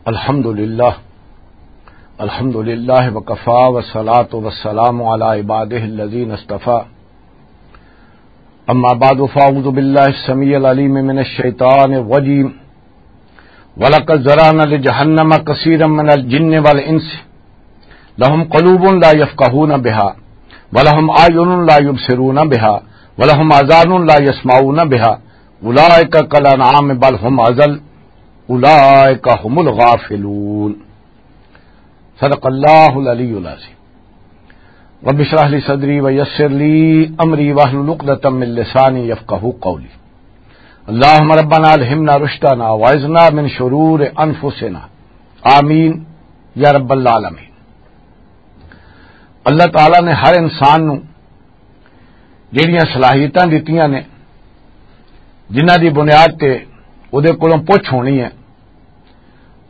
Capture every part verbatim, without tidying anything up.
الحمد لله. الحمد لله وكفى والصلاة والسلام على عباده الذين اصطفى. أما بعد فأعوذ بالله السميع العليم من الشيطان الرجيم. ولقد ذرأنا لجهنم كثيرا من الجن والإنس لهم قلوب لا يفقهون بها ولهم أعين لا يبصرون بها ولهم آذان لا يسمعون بها أولئك كالأنعام بل هم أضل أولئك هم الغافلون. صدق الله العلي العظيم. رب اشرح لي صدري ويسر لي أمري واحلل عقدة من لساني يفقهوا قولي. اللهم ربنا ألهمنا رشدنا وأعذنا من شرور أنفسنا. آمين يا رب العالمين. اللہ تعالیٰ نے ہر انسان نو جڑیاں صلاحیتاں دتیاں نے، جنہاں دی بنیاد تے اودے کولوں پوچھ ہونی ہے،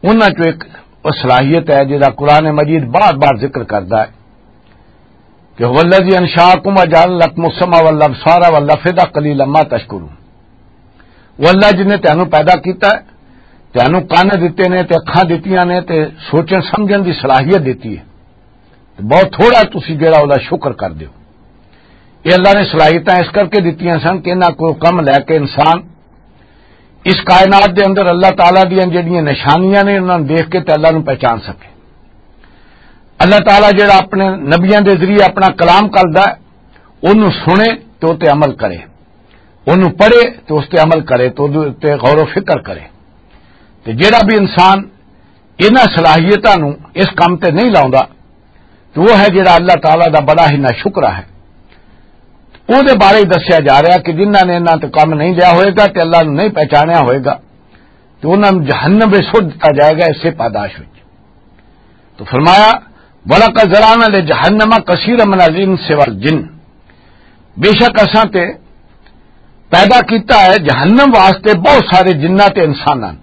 انہاں چوں ایک او صلاحیت ہے جہدا قرآن مجید بار بار ذکر کردا ہے کہ "هو الذي أنشأكم وجعل لكم السمع والأبصار والأفئدة قليلا ما تشكرون۔" وہ اللہ جن نے تینوں پیدا کیتا ہے، تینوں کن دتے نے تے اکھاں دتیاں نے تے سوچن سمجھن دی صلاحیت دتی ہے، تے بہت تھوڑا تسی جڑا اولا شکر کر دیو۔ یہ اللہ نے صلاحیتاں اس کر کے دتیاں سن کہ انہاں کو کم لے کے انسان اس کائنات دے اندر اللہ تعالیٰ دیاں جڑیاں نشانیاں نے، انہاں نوں دیکھ کے تے اللہ نوں پہچان سکے۔ اللہ تعالیٰ جڑا اپنے نبیاں دے ذریعے اپنا کلام کردا ہے، اونوں سنے تے او تے عمل کرے، اونوں پڑھے تے اس تے عمل کرے، تے اودے تے غور و فکر کرے۔ تے جڑا بھی انسان انہاں صلاحیتاں نوں اس کم تے نہیں لاؤندا، تے وہ ہے جڑا اللہ تعالیٰ دا بڑا ہی ناشکرا ہے۔ او دے بارے ہی دسیا جا رہا کہ جنہاں نے انہاں تے کم نہیں لیا ہوئے گا تے اللہ نوں نہیں پہچانیا ہوئے گا، تے انہاں نوں جہنم وچ سٹ دتا جائے گا اسے پاداش وچ۔ تو فرمایا، "ولقد ذرأنا لجہنم کثیرا من الانس والجن۔" بے شک اساں تے پیدا کیتا ہے جہنم واسطے بہت سارے جنات تے انساناں۔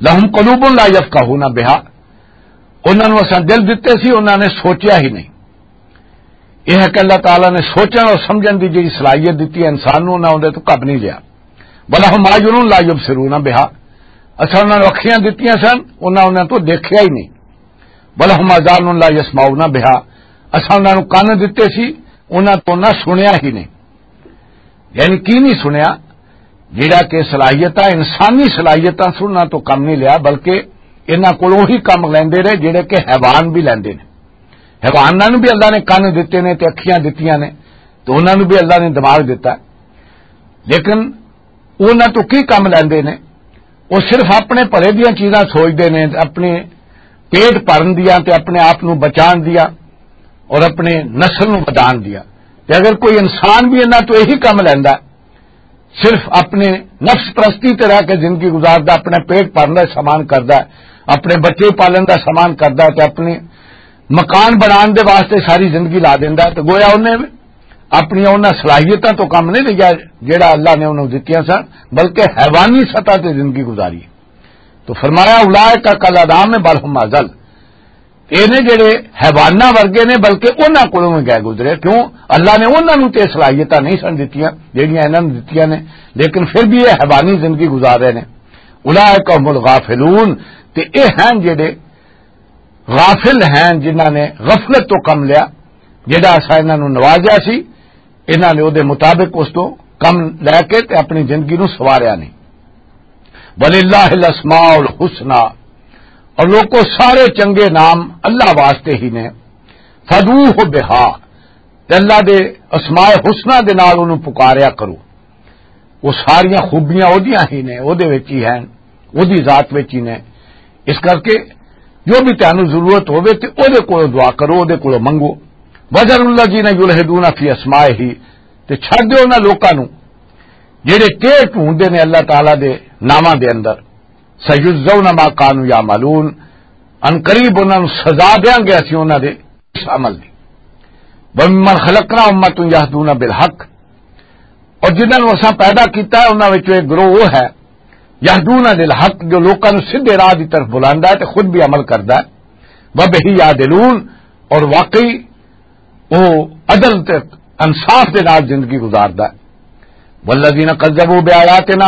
لہم قلوب لا یفقہون بہا، انہاں نوں اساں دل دتے سی، انہاں نے سوچیا ہی نہیں۔ یہ ہے کہ اللہ تعالیٰ نے سوچن اور سمجھن دی جڑی صلاحیت دتی ہے انسان نوں، انہاں اندے تو کب نہیں لیا۔ ولہم اعین لا یبصرون بہا، اساں انہاں نوں اکھیاں دتیاں سن، انہاں انہاں تو دیکھیا ہی نہیں۔ ولہم آذان لا یسمعون بہا، اساں انہاں نوں کن دتے سی، انہاں تو نہ سنیا ہی نہیں۔ یعنی کی نہیں سنیا؟ جڑا کہ صلاحیتاں، انسانی صلاحیتاں سننا تو کم نہیں لیا، بلکہ انہاں کولوں ہی کم لیندے رہے جڑے کہ حیوان بھی لیندے نے۔ حیواناں نوں بھی اللہ نے کن دتے نے تے اکھیاں دتیاں نے، تو انہاں نوں بھی اللہ نے دماغ دتا، لیکن انہاں تو کی کم لیندے نے؟ وہ صرف اپنے بھلے دیاں چیزاں سوچدے نے، اپنے پیٹ بھرن دیاں تے اپنے آپ نوں بچان دیاں اور اپنے نسل نوں ودھان دیاں۔ تے اگر کوئی انسان بھی انہاں تو یہی کم لیندا، صرف اپنے نفس پرستی تے رہ کے زندگی گزاردا، اپنے پیٹ بھرن دا سامان کردا، اپنے بچے پالن دا سامان کردا تے اپنے مکان بنان دے واسطے ساری زندگی لا دیندا، تے گویا انہیں اپنی انہاں صلاحیتاں تو کم نہیں لیا جڑا اللہ نے انہوں دتیاں سن، بلکہ حیوانی سطح تے زندگی گزاری۔ تو فرمایا، "اولئک کالانعام بل هم اضل۔" یہ نے جڑے حیواناں ورگے نے، بلکہ انہاں کولوں بھی گئے گزرے۔ کیوں؟ اللہ نے انہاں نوں تے صلاحیتاں نہیں سن دتیاں جڑیاں انہاں نوں دتیاں نے، لیکن پھر بھی یہ حیوانی زندگی گزار رہے نے۔ اولئک هم الغافلون، تے یہ ہیں جڑے غافل ہیں، جنہاں نے غفلت تو کم لیا، جڑا اسا انہاں نوں نوازیا سی، انہاں نے او دے مطابق اس تو کم لے کے تے اپنی زندگی نوں سواریا نہیں۔ وللہ الاسماء الحسنی، اور لوگوں، سارے چنگے نام اللہ واسطے ہی نے۔ فدعوہ بہا، تے اللہ دے اسماء حسنی دے نال انہوں پکاریا کرو۔ وہ ساریاں خوبیاں اودیاں ہی نے، اودے وچ ہی ہیں، اودی ذات وچ ہی نے۔ اس کر کے جو بھی تانوں ضرورت ہوے تے اودے کولوں دعا کرو، اودے کولوں منگو۔ وذروا الذین یلحدون فی اسمائہ، تے چھڈ دیو انہاں لوکاں نوں جڑے ٹیڑھ ڈھونڈدے نے اللہ تعالیٰ دے ناماں دے اندر۔ سیجزون ما کانوا یعملون، ان قریب انہاں نوں سزا دیاں گے اسی انہاں دے اس عمل دی۔ وممن خلقنا امۃ یہدون بالحق، اور جنہاں نوں اساں پیدا کیتا ہے، انہاں وچوں ایک گروہ وہ ہے، یہدون للحق، جو لوکاں نوں سیدھے راہ دی طرف بلاندا ہے تے خود بھی عمل کردا ہے، وبہ یعدلون، اور واقعی وہ عدل تے انصاف دے نال زندگی گزاردا ہے۔ والذین کذبوا بآیاتنا،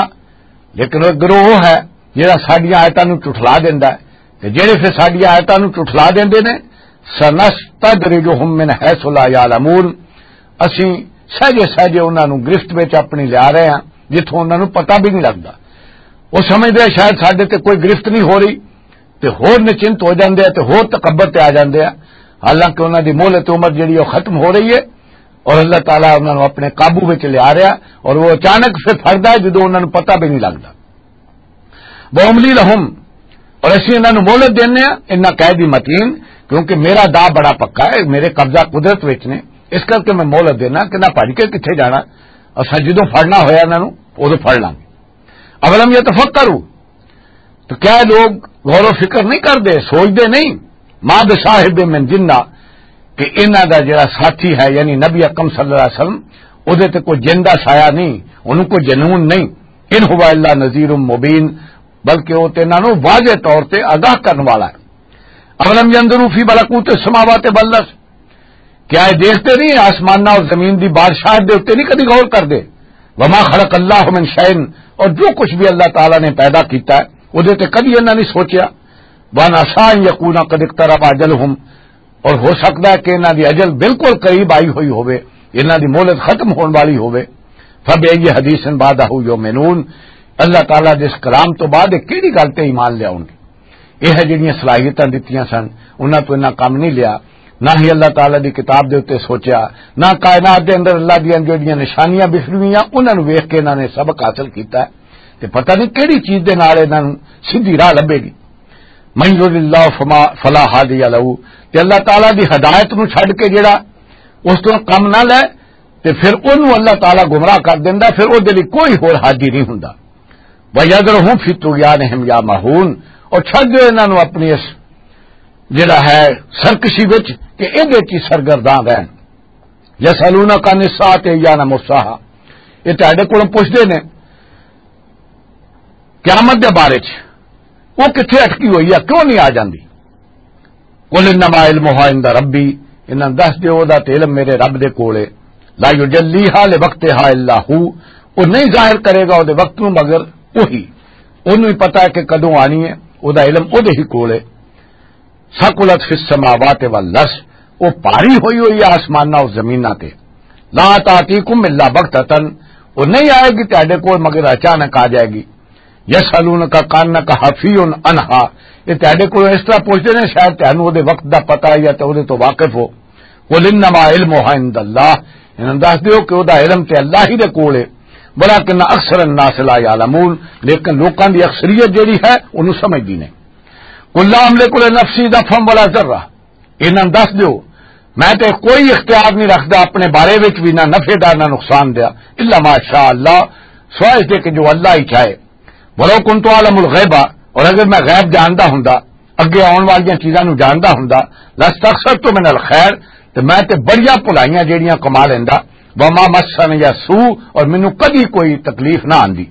لیکن وہ گروہ وہ ہے جہڑا ساڈیاں آیتاں نوں جھٹلا دیندا ہے، تے جہڑے پھر ساڈیاں آیتاں نوں جھٹلا دیندے نے، سنستدرجہم من حیث لا یعلمون، اسیں سہجے سہجے انہاں نوں گرفت وچ اپنی لیا رہے ہاں، جتھوں انہاں نوں پتہ بھی نہیں لگدا۔ وہ سمجھدے شاید ساڈے تے کوئی گرفت نہیں ہو رہی، تے ہور نچنت ہو جاندے آ، تے ہور تکبر تے آ جاندے آ، حالانکہ انہاں دی مہلت عمر جڑی، وہ ختم ہو رہی ہے، اور اللہ تعالیٰ انہاں نوں اپنے قابو وچ لیا رہا، اور وہ اچانک پھر پھڑدا ہے جدوں انہاں نوں پتہ بھی نہیں لگدا۔ وَأُمْلِي لَهُمْ، اور اسی انہاں نوں مہلت دینے آ، انہاں قید متین، کیونکہ میرا دا بڑا پکا ہے، میرے قبضہ قدرت وچ نے، اس کر کے میں مہلت دینا کہ نہ بھج کے کتھے جانا، اساں جدوں پھڑنا ہویا انہاں نوں، اودوں پھڑ لانگے۔ اولم یتفکروا، تو کیا لوگ غور و فکر نہیں کردے، سوچدے نہیں؟ ما بصاحب من جنہ، کہ انہاں دا جڑا ساتھی ہے، یعنی نبی اکرم صلی اللہ علیہ وسلم، اودے تے کوئی جن دا سایہ نہیں، انہوں کوئی جنون نہیں۔ ان هو الا نذیر مبین، بلکہ وہ تے انہاں نوں واضح طور تے آگاہ کرن والا ہے۔ اولم ينظروا في ملكوت السماوات والارض، کیا یہ دیکھتے نہیں آسماناں اور زمین دی بادشاہت دے اوتے نہیں کدی غور کردے؟ وما خلق اللہ من شيء، اور جو کچھ بھی اللہ تعالیٰ نے پیدا کیتا ہے، اودے تے کدی انہاں نہیں سوچیا۔ وعسى ان يكون قد اقترب اجلهم، اور ہو سکتا ہے کہ انہاں دی اجل بالکل قریب آئی ہوئی ہوے، انہاں دی مہلت ختم ہون والی ہوے۔ فبأي حديث بعده يؤمنون، اللہ تعالیٰ دے اس کلام تو بعد یہ کیڑی گل تے ایمان لے آؤن گے؟ یہ ہے جڑیاں صلاحیتاں دتیاں سن، انہاں تو انہاں کم نہیں لیا، نہ ہی اللہ تعالیٰ دی کتاب دے اُتے سوچیا، نہ کائنات دے اندر اللہ دیاں جڑیاں نشانیاں بکھریاں، انہاں نوں ویکھ کے انہاں نے سبق حاصل کیتا ہے۔ تے پتہ نہیں کیڑی چیز دے نال انہاں نوں سیدھی راہ لبھے گی۔ من يضلل الله فما، فلا هادي له، تے اللہ تعالیٰ دی ہدایت نوں چھڈ کے جڑا اس تو کم نہ لے، تے پھر اونوں اللہ تعالیٰ گمراہ کر دیندا، پھر او دے لئی کوئی ہور ہادی نہیں ہوندا۔ وَيَذَرُهُمْ فِي طُغْيَانِهِمْ يَعْمَهُونَ، اور چھڈ دیو انہاں نوں اپنی اس جڑا ہے سرکشی وچ کہ ایدے چ سرگرداں رہن۔ يَسْأَلُونَكَ عَنِ السَّاعَةِ أَيَّانَ مُرْسَاهَا، یہ تہاڈے کولوں پوچھدے نے قیامت دے بارے چ، وہ کتھے اٹکی ہوئی ہے، کیوں نہیں آ جاندی؟ قل انما علمها عند ربی، انہاں دس دیو، او دا تے علم میرے رب دے کول ہے۔ لا یجلیہا لوقتہا الا ہو، وہ نہیں ظاہر کرے گا او دے وقت نوں مگر وہی۔ اونوں ہی پتہ ہے کہ کدوں آنی ہے، او دا علم او دے ہی کول ہے۔ ثقلت فی السماوات والارض، وہ بھاری ہوئی ہوئی ہے آسماناں اور زمیناں تے۔ لا تاتیکم الا بغتۃ، وہ نہیں آئے گی تہاڈے کول مگر اچانک آ جائے گی۔ یسالونک کانک حفی عنہا، یہ تہاڈے کول اس طرح پوچھتے ہیں شاید تہانوں وہ وقت دا پتہ ہے یا تے وہ تو واقف ہو۔ قل انما علمها عند اللہ، انہاں دس دیو کہ وہ دا علم تے اللہ ہی دے کول ہے۔ ولکن اکثر الناس لا یعلمون، لیکن لوکاں دی اکثریت جڑی ہے انہوں سمجھدی نہیں۔ قل لا املک لنفسی نفعا ولا ضرا، انہاں دس دیو، میں تے کوئی اختیار نہیں رکھدا اپنے بارے وچ بھی، نہ نفع دا نہ نقصان دا، الا ما شاء اللہ، سوائے اس دے کہ جو اللہ ہی چاہے۔ ولو کنت اعلم الغیب، اور اگر میں غیب جاندا ہوندا، اگے آن والیاں چیزاں نوں جاندا ہوندا، لاستکثرت من الخیر، تے میں تے بڑیاں بھلائیاں جیڑیاں کما لیندا، وما مسنی السوء، اور مینوں کدی کوئی تکلیف نہ آندی۔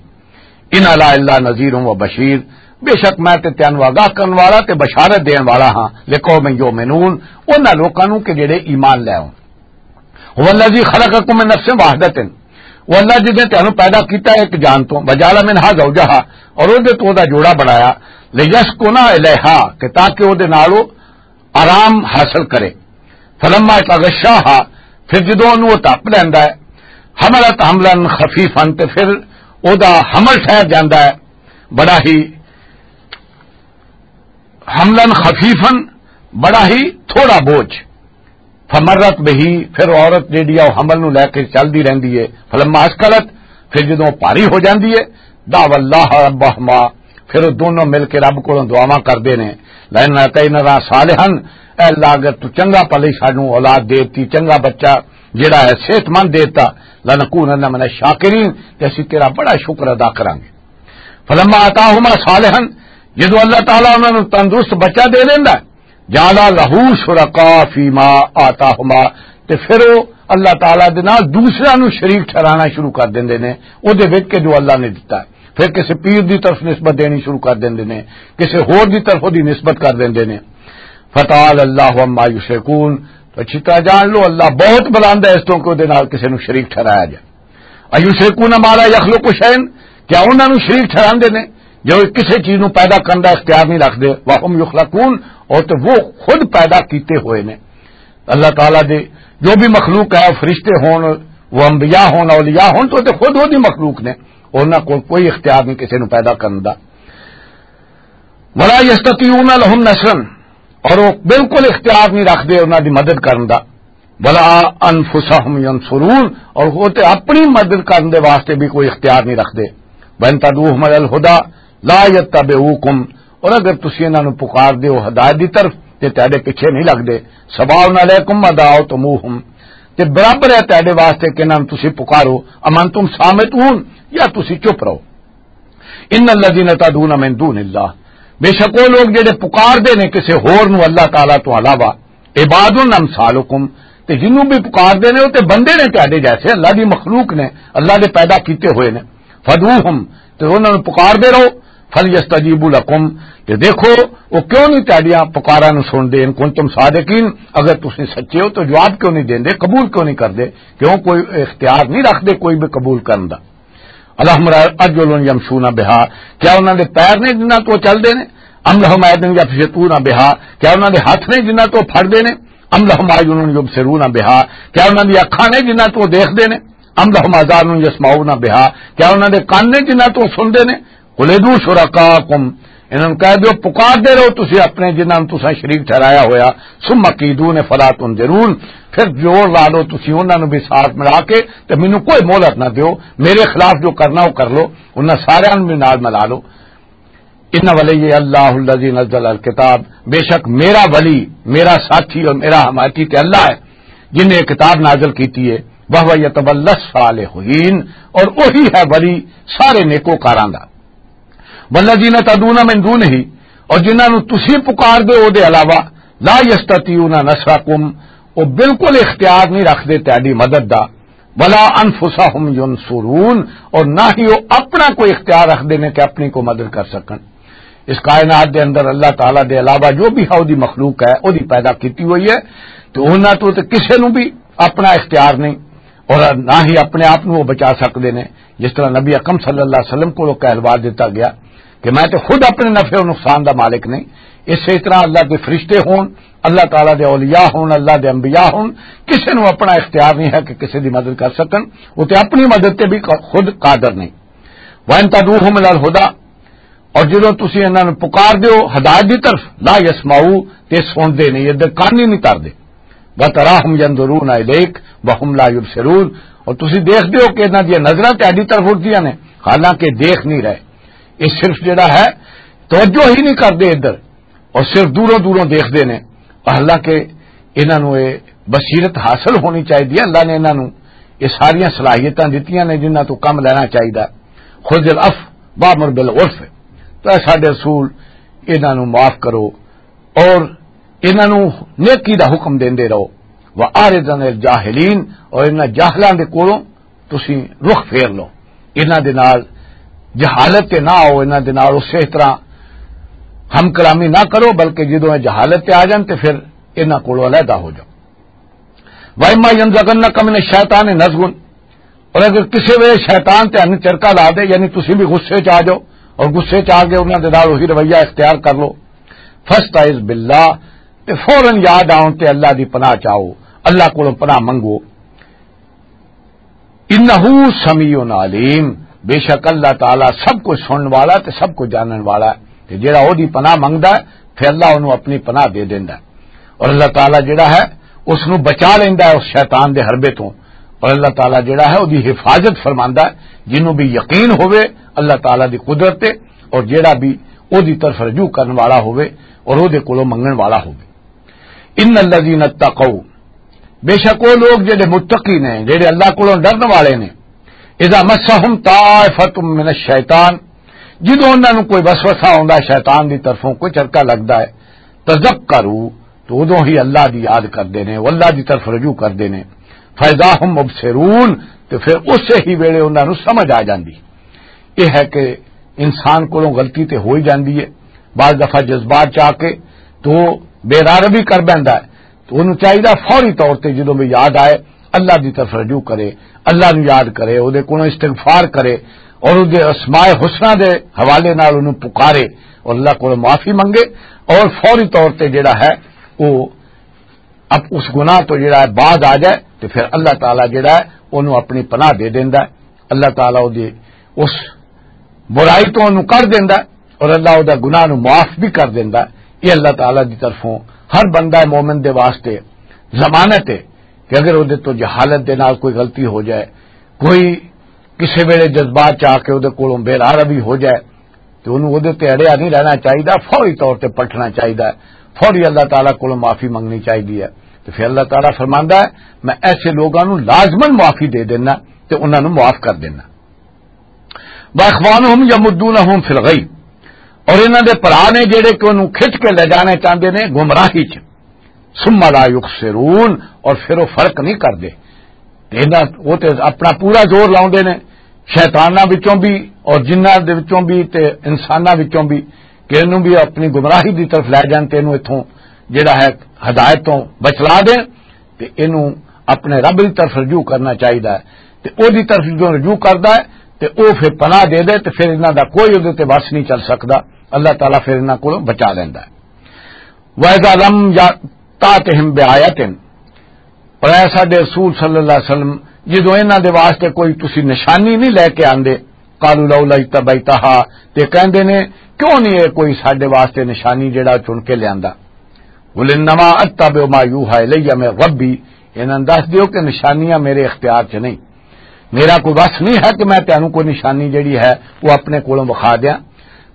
ان انا الا نذیر و بشیر، بے شک میں تے تینوں آگاہ کرن والا تے بشارت دین والا ہاں، لقوم یؤمنون، انہاں لوکاں نوں کہ جڑے ایمان لے آون۔ هو الذی خلقکم من نفس واحدۃ، وہ اللہ جس نے تینوں پیدا کیتا ہے ایک جان تو، وجعل منها زوجها، اور او دے تو دا جوڑا بنایا، لیسکن الیہا، کہ تاکہ او دے نال او آرام حاصل کرے۔ فلما یغشاہا، پھر جدوں انہوں وہ تپ لیندا ہے، حملت حملا خفیفا، تے پھر او دا حمل ٹھہر جاندا ہے بڑا ہی، حملا خفیفا، بڑا ہی تھوڑا بوجھ۔ فمرت بہی، پھر عورت جیڑی آ، او حمل نو لے کے چلدی رہندی ہے۔ فلما اثقلت، پھر جدوں او بھاری ہو جاندی ہے، دعوا اللہ ربہما، پھر او دونوں مل کے رب کولوں دعاواں کردے نے، لئن آتینا صالحا، اے اللہ اگر تو چنگا پلی سانوں اولاد دے دتی، چنگا بچہ جیڑا ہے صحت مند دے دتا، لنکونن من الشاکرین، تے اسی تیرا بڑا شکر ادا کراں گے۔ فلما آتاہما صالحا، جدوں اللہ تعالیٰ انہاں نوں تندرست بچہ دے دیندا ہے، جعل لہ شرکاء فیما آتاہما، تے پھر او اللہ تعالیٰ دے نال دوسرے نوں شریک ٹھہرانا شروع کر دیندے نے او دے وچ کہ جو اللہ نے دتا ہے۔ پھر کسے پیر دی طرف نسبت دینی شروع کر دیندے نے، کسے ہور دی طرف دی نسبت کر دیندے نے۔ فتعالی اللہ عما یشرکون، تو اچھی طرح جان لو اللہ بہت بلند ہے اس تو کہ او دے نال کسے نوں شریک ٹھہرایا جائے۔ ایشرکون ما لا یخلق شیئا، کیا انہاں نوں شریک ٹھہراندے نے جو کسی چیز نو پیدا کرن دا اختیار نہیں رکھدے، وَهُمْ يُخْلَقُونَ، اور تے وہ خود پیدا کیتے ہوئے نے۔ اللہ تعالیٰ دے جو بھی مخلوق ہے، فرشتے ہون، وہ انبیاء ہون، اولیاء ہون، تو تے خود وہ دی مخلوق نے، انہاں کول کوئی اختیار نہیں کسی نو پیدا کرن دا۔ وَلَا يَسْتَطِيعُونَ لَهُمْ نَصْرًا، اور وہ بالکل اختیار نہیں رکھدے انہاں دی مدد کرن دا۔ وَلَا أَنفُسَهُمْ يَنصُرُونَ، اور وہ تے اپنی مدد کرن دے واسطے بھی کوئی اختیار نہیں رکھدے۔ وَإِن تَدْعُوهُمْ إِلَى الْهُدَى لَا يَتَّبِعُوكُمْ، اور اگر تسی انہاں نوں پکار دیو ہدایت دی طرف، تے تہاڈے پیچھے نہیں لگدے۔ سواء علیکم ادعوتموہم، تے برابر ہے تہاڈے واسطے کہ انہاں نوں تسی پکارو، امنتم صامتون، یا تسی چپ رہو۔ ان الذین تدعون من دون اللہ، بے شک وہ لوگ جڑے پکار دے نے کسے ہور نو اللہ تعالیٰ تو علاوہ، عباد امثالکم، تے جنوں بھی پکار دے نے، وہ تے بندے نے تہاڈے جیسے، اللہ دی مخلوق نے، اللہ دے پیدا کیتے ہوئے نے۔ فدعوہم، تے انہاں نوں پکار دے رہو۔ فلیستجیبوا لکم، تے دیکھو وہ کیوں نہیں تہاڈیاں پکاراں نوں سن دے، ان کنتم صادقین، اگر تسی سچے ہو تو جواب کیوں نہیں دیندے، قبول کیوں نہیں کردے؟ کیوں؟ کوئی اختیار نہیں رکھدے کوئی بھی قبول کرن دا۔ الہم ارجل یمشون بہا، کیا انہاں دے پیر نے جنہاں تو چل دے نے؟ ام لہم ایدن یبطشون بہا، کیا انہاں دے ہاتھ نے جنہاں تو پھڑ دے نے؟ ام لہم اعین یبصرون بہا، کیا انہاں دی اکھاں نے جنہاں تو دیکھ دے نے؟ ام لہم آذان یسمعون بہا، کیا انہاں دے کان نے جنہاں تو سن دے نے؟ قل ادعوا شرکاءکم، انہاں نوں کہہ دیو، پکار دے رہو تسی اپنے جنہاں نوں تساں شریک ٹھہرایا ہویا، ثم کیدون فلا تنظرون، پھر جوڑ لا لو تسی انہاں نوں بھی ساتھ ملا کے، تے مینوں کوئی مہلت نہ دیو، میرے خلاف جو کرنا وہ کر لو، انہاں سارے نوں بھی نال ملا لو۔ ان ولی اللہ الذی نزل الکتاب، بے شک میرا ولی، میرا ساتھی اور میرا حمایتی تے اللہ ہے، جن نے کتاب نازل کیتی ہے، وہو یتولی الصالحین، اور وہی ہے ولی سارے نیکوکاراں دا۔ والذین تدعون من دونہ، اور جنہاں نوں تسی پکار دے او دے علاوہ، لا یستطیعون نصرکم، وہ بالکل اختیار نہیں رکھدے تہاڈی مدد دا، ولا انفسہم ینصرون، اور نہ ہی وہ اپنا کوئی اختیار رکھدے نے کہ اپنی کو مدد کر سکن۔ اس کائنات دے اندر اللہ تعالیٰ دے علاوہ جو بھی ہے، وہ دی مخلوق ہے، وہ دی پیدا کیتی ہوئی ہے، تو انہاں تو تے کسے نوں بھی اپنا اختیار نہیں، اور نہ ہی اپنے آپ نوں وہ بچا سکدے نے۔ جس طرح نبی اکرم صلی اللہ علیہ وسلم کو کہلوا دیتا گیا کہ میں تے خود اپنے نفع و نقصان دا مالک نہیں، اسی طرح اللہ دے فرشتے ہون، اللہ تعالیٰ دے اولیاء ہون، اللہ دے انبیاء ہون، کسے نوں اپنا اختیار نہیں ہے کہ کسے دی مدد کر سکن، وہ تے اپنی مدد تے بھی خود قادر نہیں۔ وَإِن تَدْعُوهُمْ إِلَى الْهُدَى، اور جدوں تسی انہاں نوں پکار دیو ہدایت دی طرف، لا یسمعو، تے سن دے نہیں، ادھر کان ہی نہیں تردے۔ وَتَرَاهُمْ يَنْظُرُونَ إِلَيْكَ وَهُمْ لَا يُبْصِرُونَ، اور تسی دیکھ دیو کہ انہاں دی نظراں تہاڈی طرف اٹھدیاں نے، حالانکہ دیکھ نہیں رہے۔ یہ صرف جڑا ہے، توجہ ہی نہیں کردے ادھر، اور صرف دوروں دوروں دیکھ دے نے۔ حالانکہ انہاں نوں یہ بصیرت حاصل ہونی چاہیے، اللہ نے انہاں نوں یہ ساریاں صلاحیتاں دتیاں نے جنہاں تو کم لینا چاہیے۔ خذ العفو وامر بالعرف، تو اے ساڈے رسول، انہاں نوں معاف کرو اور انہاں نوں نیکی دا حکم دیندے رہو۔ واعرض عن الجاہلین، اور انہاں جاہلاں دے کولوں تسی رخ پھیر لو، انہاں دے نال جہالت تے نہ آؤ، انہاں دے نال اسی طرح ہم کلامی نہ کرو، بلکہ جدوں یہ جہالت تے آ جان تے پھر انہاں کولوں علیحدہ ہو جاؤ۔ وَإِمَّا يَنزَغَنَّكَ مِنَ الشَّيْطَانِ نَزْغٌ، اور اگر کسی ویلے شیطان تے ہن چرکا لا دے، یعنی تسی بھی غصے چ آ جاؤ اور غصے چ آ کے انہاں دے نال وہی رویہ اختیار کر لو، فَاسْتَعِذْ بِاللَّهِ، تے فوراً یاد آؤن تے اللہ دی پناہ چاہو، اللہ کولوں پناہ منگو۔ انہ سمیع علیم، بے شک اللہ تعالیٰ سب کچھ سنن والا تے سب کچھ جانن والا ہے۔ تے جڑا او دی پناہ منگدا ہے، پھر اللہ اونوں اپنی پناہ دے دیندا ہے۔ اور اللہ تعالیٰ جڑا ہے، اس نوں بچا لیندا ہے اس شیطان دے حربے تو۔ اور اللہ تعالیٰ جڑا ہے، او دی حفاظت فرماندا ہے۔ جنوں بھی یقین ہوئے اللہ تعالیٰ دی قدرت تے، اور جڑا بھی او دی طرف رجوع کرن والا ہوئے اور او دے کولوں منگن والا ہوئے۔ ان الذین اتقوا، بے شک وہ لوگ جڑے متقی نے، جڑے اللہ کولوں ڈرن والے نے، اذا مسہم طائفۃ من الشیطان، جدوں انہاں نوں کوئی وسوسہ آوندا ہے شیطان دی طرفوں، کوئی چرکا لگدا ہے، تذکروا، تو ادوں ہی اللہ دی یاد کردے نے، وہ اللہ دی طرف رجوع کردے نے، فاذا هم مبصرون، تے پھر اسے ہی ویلے انہاں نوں سمجھ آ جاندی۔ یہ ہے کہ انسان کولوں غلطی تے ہو ہی جاندی ہے، بعض دفعہ جذبات چ آ کے تو بے راہ روی کر بیندا ہے، تو انہوں چاہیدا فوری طور تے جدوں بھی یاد آئے، اللہ دی طرف رجوع کرے، اللہ نوں یاد کرے، او دے کولوں استغفار کرے، اور اس دے اسماء حسنہ دے حوالے نال انہوں پکارے اور اللہ کو معافی منگے، اور فوری طور تے جڑا ہے وہ اب اس گناہ تو جڑا ہے باز آ جائے، تو پھر اللہ تعالیٰ جڑا ہے انہوں اپنی پناہ دے دیندا ہے۔ اللہ تعالیٰ وہ دے اس برائی تو انہوں کر دیندا ہے، اور اللہ وہ دا گناہ نو معاف بھی کر دیندا ہے۔ یہ اللہ تعالیٰ دی طرفوں ہر بندہ مومن دے واسطے ضمانت ہے کہ اگر وہ دے تو جہالت دے نال کوئی غلطی ہو جائے، کوئی کسے ویلے جذبات چ آ کے وہ دے کولوں بے راہ روی ہو جائے، تو انہوں وہ دے تے اڑیا نہیں رہنا چاہیے، فوری طور تے پلٹنا چاہیے، فوری اللہ تعالیٰ کولوں معافی منگنی چاہیے ہے۔ تو پھر اللہ تعالیٰ فرماندا ہے، میں ایسے لوگاں نو لازماً معافی دے دینا تے انہاں نو معاف کر دینا۔ واخوانہم یمدونہم فی الغی، اور انہاں دے بھرا نے جڑے کہ انہوں کھچ کے لے جانے چاہندے نے گمراہی چ، ثم لا یقصرون، اور پھر وہ فرق نہیں کردے۔ تے انہاں، وہ تے اپنا پورا زور لاؤندے نے، شیطاناں وچوں بھی اور جنہاں دے وچوں بھی تے انساناں وچوں بھی، کہ انہوں بھی اپنی گمراہی دی طرف لے جان تے انہوں اتھوں جڑا ہے ہدایت تو بچلا دین، تے انہوں اپنے رب دی طرف رجوع کرنا چاہیدا ہے۔ تے او دی طرف جو رجوع کردا ہے تے او پھر پناہ دے دے، تے پھر انہاں دا کوئی اودے تے وس نہیں چل سکدا۔ اللہ تعالیٰ پھر انہاں کولوں بچا لیندا ہے۔ وَإِذَا لَمْ يَأْتِهِمْ بِآيَةٍ، پر اے ساڈے رسول صلی اللہ علیہ وسلم، جدوں انہاں دے واسطے کوئی تسی نشانی نہیں لے کے آندے، قالوا لولا اجتبیتہا، تے کہندے نے، کیوں نہیں اے کوئی ساڈے واسطے نشانی جڑا چن کے لیاندا؟ قل انما اتبع ما یوحی الی من ربی، انہاں دس دیو کہ نشانیاں میرے اختیار چ نہیں۔ میرا کوئی وس نہیں ہے کہ میں تینوں کوئی نشانی جڑی ہے وہ اپنے کولوں وکھا دیاں۔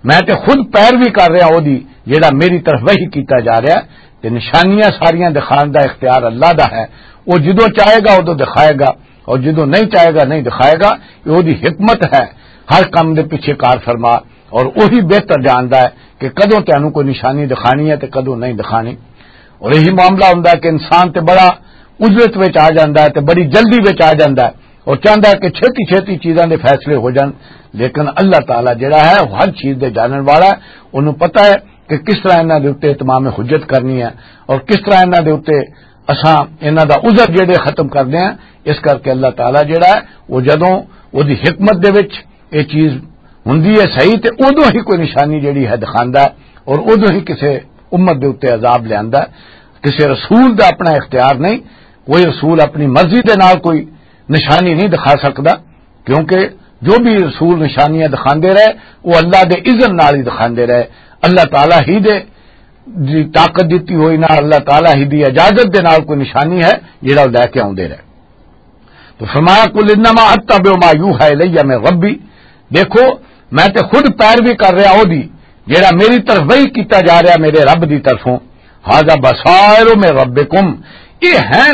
میں تے خود پیروی کر رہا او دی، جڑا میری طرف وحی کیتا جا رہا ہے۔ تے نشانیاں ساریاں دکھان دا اختیار اللہ دا ہے۔ وہ جدوں چاہے گا ادوں دکھائے گا، اور جدوں نہیں چاہے گا نہیں دکھائے گا۔ یہ او دی حکمت ہے، ہر کم دے پیچھے کار فرما، اور وہی بہتر جاندا ہے کہ کدوں تینوں کوئی نشانی دکھانی ہے تے کدوں نہیں دکھانی۔ اور یہی معاملہ ہوندا ہے کہ انسان تے بڑا عجلت وچ آ جاندا ہے تے بڑی جلدی وچ آ جاندا ہے اور چاہندا ہے کہ چھتی چھتی چیزاں دے فیصلے ہو جان، لیکن اللہ تعالیٰ جڑا ہے وہ ہر چیز دے جانن والا ہے۔ انہوں پتہ ہے کہ کس طرح انہاں دے اُتے اتمام حجت کرنی ہے اور کس طرح انہاں دے اُتے اساں انہاں دا عذر جڑے ختم کرنے ہیں۔ اس کر کے اللہ تعالیٰ جڑا ہے وہ جدوں وہ دی حکمت دے وچ یہ چیز ہوندی ہے صحیح، تے ادوں ہی کوئی نشانی جڑی ہے دکھاندا ہے اور ادوں ہی کسے امت دے اُتے عذاب لیاندا ہے۔ کسے رسول دا اپنا اختیار نہیں، کوئی رسول اپنی مرضی دے نال کوئی نشانی نہیں دکھا سکدا، کیونکہ جو بھی رسول نشانیاں دکھاندے رہے، وہ اللہ دے اذن نال ہی دکھاندے رہے۔ اللہ تعالیٰ ہی دے دی طاقت دتی ہوئی نہ، اللہ تعالیٰ ہی دی اجازت دے نال کوئی نشانی ہے جڑا وہ لے کے آوندے رہے۔ تو فرمایا، قل انما اتبع ما یوحی الی من ربی، دیکھو میں تے خود پیروی کر رہا او دی جڑا میری طرف وحی کیتا جا رہا میرے رب دی طرفوں۔ ھذا بصائر من ربکم، یہ ہیں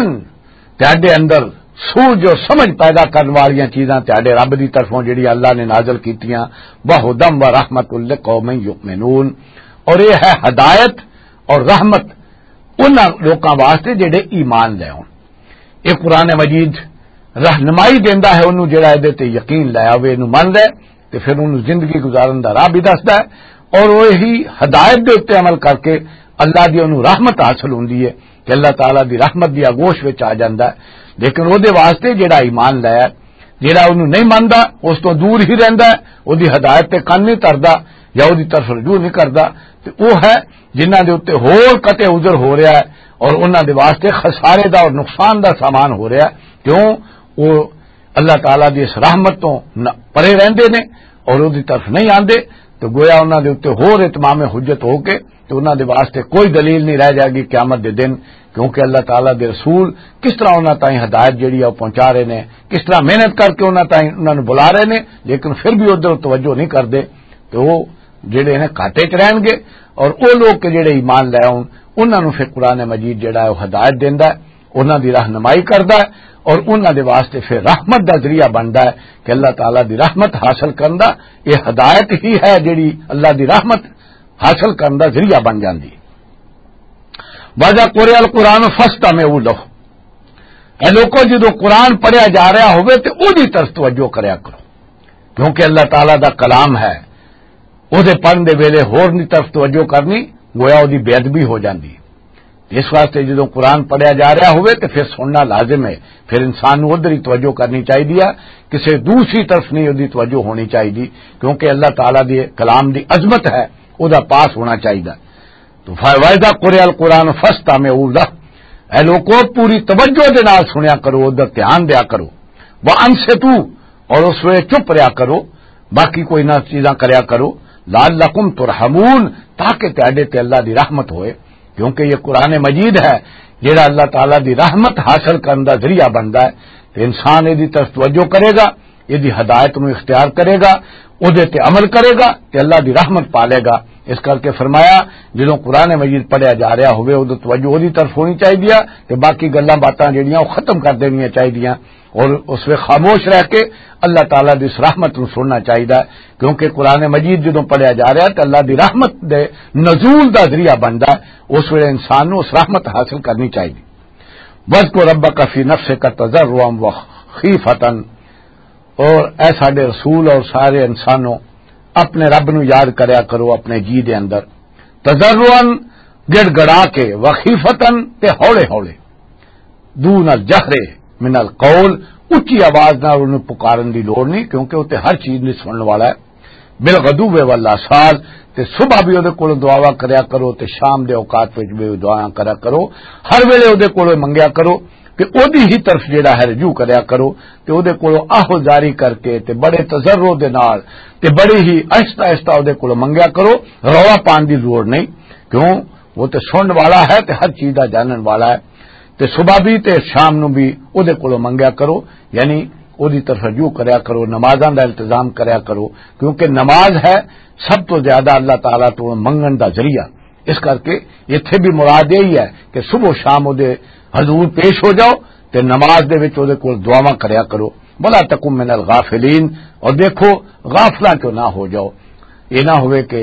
تہاڈے اندر سوجھ اور سمجھ پیدا کرن والیاں چیزاں تہاڈے رب دی طرفوں جڑی اللہ نے نازل کیتیاں، وہدی ورحمۃ لقوم یؤمنون، اور یہ ہے ہدایت اور رحمت انہاں لوکاں واسطے جڑے ایمان لے آؤن۔ یہ قرآن مجید رہنمائی دیندا ہے انہوں جڑا اے تے یقین لے آوے، انہوں من لے، تے پھر انہوں زندگی گزارن دا راہ بھی دسدا ہے، اور وہی ہدایت دے اُتے عمل کر کے اللہ دی انہوں رحمت حاصل ہوندی ہے کہ اللہ تعالیٰ دی رحمت دی آگوش وچ آ جاندا ہے۔ لیکن وہ دے واسطے جڑا ایمان لے، جڑا انہوں نہیں مندا، اس تو دور ہی رہندا ہے، وہ دی ہدایت تے کن نہیں تردا یا وہ دی طرف رجوع نہیں کردا، تے وہ ہے جنہاں دے اُتے ہور قطع عذر ہو رہا ہے اور انہاں دے واسطے خسارے دا اور نقصان دا سامان ہو رہا ہے۔ کیوں؟ وہ اللہ تعالیٰ دی اس رحمت تو نہ، پرے رہندے نے اور وہ دی طرف نہیں آندے، تو گویا انہاں دے اُتے ہور اتمام حجت ہو کے تو انہاں دے واسطے کوئی دلیل نہیں رہ جائے گی قیامت دے دن، کیونکہ اللہ تعالیٰ دے رسول کس طرح انہاں تائیں ہدایت جڑی ہے وہ پہنچا رہے نے، کس طرح محنت کر کے انہاں تائیں انہاں نوں بلا رہے نے، لیکن پھر بھی ادھر توجہ نہیں کردے۔ تو وہ جڑے نے گھاٹے چ رہن گے، اور وہ لوگ کہ جڑے ایمان لے آؤن، انہاں نوں پھر قرآن مجید جڑا ہے وہ ہدایت دیندا ہے، انہاں دی رہنمائی کردا ہے، اور انہاں دے واسطے پھر رحمت دا ذریعہ بندا ہے کہ اللہ تعالیٰ دی رحمت حاصل کرن دا، یہ ہدایت ہی ہے جڑی اللہ دی رحمت حاصل کرن دا ذریعہ بن جاندی ہے۔ وَإِذَا قُرِئَ الْقُرْآنُ فَاسْتَمِعُوا لَهُ، اے لوکو، جدوں قرآن پڑھیا جا رہا ہوئے تے اودی طرف توجہ کریا کرو، کیونکہ اللہ تعالیٰ دا کلام ہے، اودے پڑھن دے ویلے ہور دی طرف توجہ کرنی گویا اودی بے ادبی ہو جاندی۔ اس واسطے جدوں قرآن پڑھیا جا رہا ہوئے تے پھر سننا لازم ہے، پھر انسان نوں ادھر ہی توجہ کرنی چاہیے، کسی دوسری طرف نہیں ادھی توجہ ہونی چاہیے، کیونکہ اللہ تعالیٰ دی کلام دی عظمت ہے، او دا پاس ہونا چاہیے۔ تو فَإِذَا قُرِئَ الْقُرْآنُ فَاسْتَمِعُوا لَهُ، اے لوکو، پوری توجہ دے نال سنیا کرو، ادھر دھیان دیا کرو۔ وَأَنصِتُوا، اور اس ویلے چپ رہیا کرو، باقی کوئی نہ چیزاں کریا کرو، لعلکم ترحمون، تاکہ تہاڈے تے اللہ دی رحمت ہوئے، کیونکہ یہ قرآن مجید ہے جڑا اللہ تعالیٰ دی رحمت حاصل کرن دا ذریعہ بندا ہے۔ تے انسان اے دی طرف توجہ کرے گا، اے دی ہدایت نو اختیار کرے گا، او دے تے عمل کرے گا تے اللہ دی رحمت پا لے گا۔ اس کر کے فرمایا، جدوں قرآن مجید پڑھیا جا رہا ہوئے، ادوں توجہ او دی طرف ہونی چاہیے، تے باقی گلاں باتاں جڑیاں او ختم کر دینیاں چاہیے۔ اور اس ویلے خاموش رہ کے اللہ تعالیٰ دی اس رحمت نو سننا چاہیے، کیونکہ قرآن مجید جدوں پڑھیا جا رہا ہے تو اللہ دی رحمت دے نزول دا ذریعہ بندا ہے، اس ویلے انسان نو اس رحمت حاصل کرنی چاہیے۔ وَاذْكُر رَّبَّكَ فِي نَفْسِكَ تَضَرُّعًا وَخِيفَةً، اور اے ساڈے رسول اور سارے انسانوں، اپنے رب نو یاد کریا کرو اپنے جی دے اندر، تضرعاً، گڑ گڑا کے، وخیفتاً، تے ہولے ہولے، دون الجہر من القول، اچھی آواز نال انہوں پکارن دی لوڑ نہیں، کیونکہ وہ تے ہر چیز نہیں سنن والا ہے۔ بالغدو والآصال، تے صبح بھی اودے کول دعاواں کریا کرو تے شام دے اوقات وچ بھی دعائیں کریا کرو، ہر ویلے اودے کول منگیا کرو، تے اودی ہی طرف جڑا ہے رجوع کریا کرو، تے اودے کولوں آہو جاری کر کے تے بڑے تضرع دے نال تے بڑی ہی آہستہ آہستہ اودے کولوں منگیا کرو۔ رولا پان دی ضرورت نہیں، کیوں؟ وہ تے سنن والا ہے تے ہر چیز دا جانن والا ہے۔ تے صبح بھی تے شام نو بھی اودے کولوں منگیا کرو، یعنی اودی طرف رجوع کریا کرو، نمازاں دا التزام کریا کرو، کیونکہ نماز ہے سب تو زیادہ اللہ تعالیٰ تو منگن دا ذریعہ۔ اس کر کے اتھے بھی مراد یہی ہے کہ صبح و شام اودے حضور پیش ہو جاؤ تے نماز دے وچ اودے کول دعاواں کریا کرو۔ ولا تکن من الغافلین، اور دیکھو، غافلاں چوں نہ ہو جاؤ۔ یہ نہ ہوئے کہ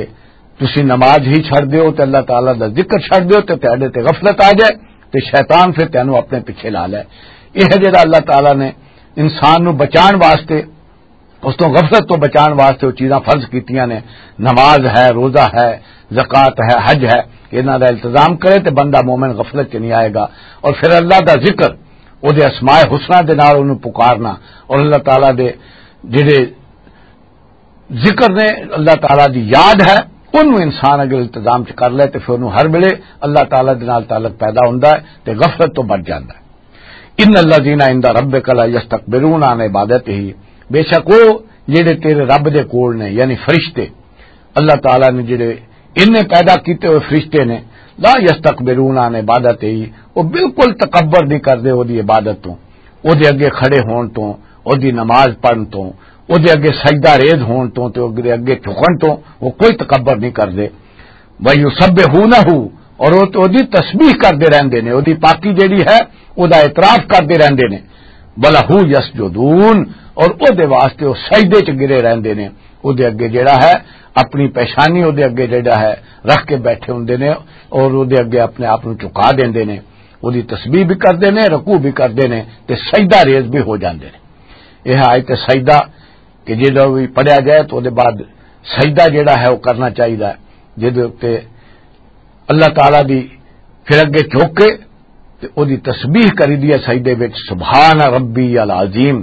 تسی نماز ہی چھڑ دیو تے اللہ تعالیٰ دا ذکر چھڑ دیو تے تہاڈے تے غفلت آ جائے تے شیطان پھر تینوں اپنے پیچھے لا لے۔ یہ ہے جڑا اللہ تعالیٰ نے انسان نو بچان واسطے، اس تو غفلت تو بچان واسطے وہ چیزاں فرض کیتیاں نے۔ نماز ہے، روزہ ہے، زکوٰۃ ہے، حج ہے، انہاں دا التزام کرے تے بندہ مومن غفلت چ نہیں آئے گا۔ اور پھر اللہ دا ذکر، او دے اسماء حسنہ دے نال اونوں پکارنا، اور اللہ تعالیٰ دے جڑے ذکر نے، اللہ تعالیٰ دی یاد ہے، اونوں انسان اگر التزام چ کر لے تے پھر اونوں ہر ویلے اللہ تعالیٰ دے نال تعلق پیدا ہوندا ہے تے غفلت تو بچ جاندا ہے۔ ان الذین عند ربک لا یستکبرون عن عبادتہ، بے شک وہ جڑے تیرے رب دے کول نے، یعنی فرشتے، اللہ تعالیٰ نے جڑے انہیں پیدا کیتے ہوئے فرشتے نے، لا یستکبرون عن عبادتہ، وہ بالکل تکبر نہیں کردے وہ دی عبادت تو، وہ دے اگے کھڑے ہون تو، وہ دی نماز پڑھن تو، وہ دے اگے سجدہ ریز ہون تو، تے وہ دے اگے جھکن تو، وہ کوئی تکبر نہیں کردے۔ وَيُسَبِّحُونَهُ، اور وہ تو دی تسبیح کردے رہندے نے، وہ دی پاکی جڑی ہے، وہ دا اعتراف کردے رہندے نے۔ وَلَهُ يَسْجُدُونَ، اور وہ دے واسطے وہ سجدے چ گرے رہندے نے۔ وہ دے اگے جڑا ہے، اپنی پیشانی وہ دے اگے جڑا ہے، رکھ کے بیٹھے ہوندے نے، اور وہ دے اگے اپنے آپ نو جھکا دیندے نے۔ وہ دی تسبیح بھی کردے نے، رکوع بھی کردے نے، تے سجدہ ریز بھی ہو جاندے نے۔ یہ آیت سجدہ کہ جدوں بھی پڑھیا جائے تو دے بعد سجدہ جڑا ہے وہ کرنا چاہیے، جدے اُتے اللہ تعالیٰ دی پھر اگے جھک کے تے او دی تسبیح کری دی ہے سجدے وچ، سبحان ربی العظیم،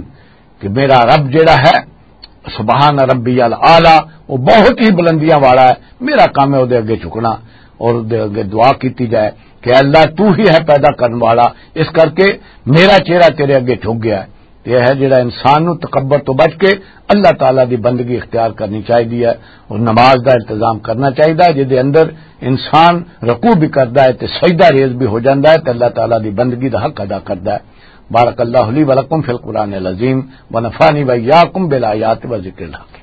کہ میرا رب جڑا ہے، سبحان ربی الاعلیٰ، وہ بہت ہی بلندیاں والا ہے۔ میرا کام ہے او دے اگے جھکنا اور او دے اگے دعا کیتی جائے کہ اللہ تو ہی ہے پیدا کرن والا، اس کر کے میرا چہرہ تیرے اگے جھک گیا ہے۔ تے یہ ہے جڑا انسان نو تکبر تو بچ کے اللہ تعالیٰ دی بندگی اختیار کرنی چاہیے ہے، اور نماز دا انتظام کرنا چاہیے ہے، جس دے اندر انسان رکوع بھی کردا ہے تے سجدہ ریز بھی ہو جاندا ہے تے اللہ تعالیٰ دی بندگی دا حق ادا کردا ہے۔ بارک اللہ لی ولکم فی القرآن العظیم، ونفعنی وإیاکم بالآیات و ذکر الحکیم۔